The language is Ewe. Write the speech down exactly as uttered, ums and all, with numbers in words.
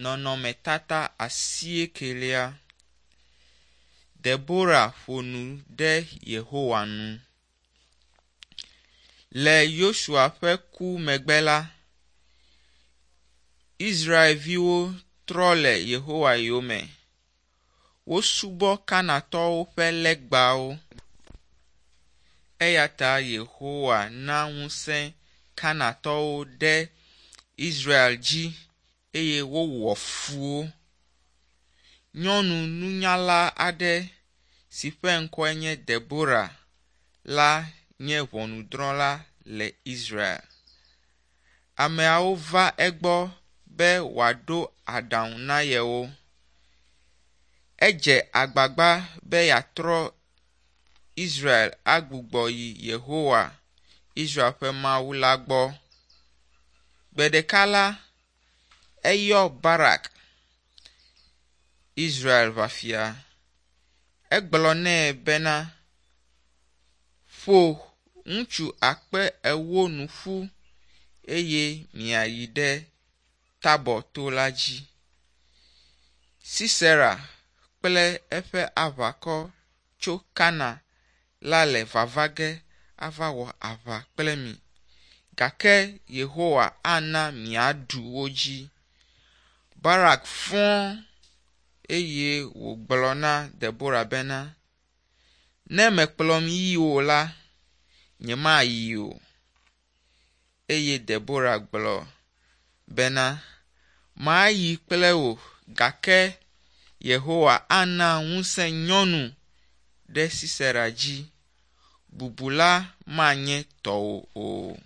Nɔnɔmetata asiekelia. Debora ƒo nu ɖe Yehowa nu. Le Yosua ƒe ku megbe la, Israelviwo trɔ le Yehowa yome. Wosubɔ Kanaantɔwo ƒe legbawo. Eya ta Yehowa na ŋusẽ Kanaantɔwo ɖe Israel dzi eye wowɔ fu wo. Nyɔnu nunyala aɖe si ƒe ŋkɔe nye Debora la nye ʋɔnudrɔ̃la le Israel. Ameawo va egbɔ be wòaɖo aɖaŋu na yewo. Edze agbagba be yeatrɔ Israel agbugbɔ yi Yehowa, Israel ƒe Mawu la gbɔ. Gbe ɖeka la, eyɔ Barak, Israel ʋafia. Egblɔ nɛ bena, ƒo ŋutsu akpe ewo nu ƒu eye miayi ɖe Tabɔ to la dzi. Sisera kple eƒe aʋakɔ tso Kana la le vava ge ava wɔ aʋa kple mi, gake Yehowa ana miaɖu wo dzi. Barak fɔ̃ eye wògblɔ na Debora bena, ne mekplɔm yi o la, nyemayi o. Eye Debora gblɔ bena, mayi kple wò gake Yehowa ana ŋusẽ nyɔnu ɖe Sisera dzi. Bubu la manye tɔwò o.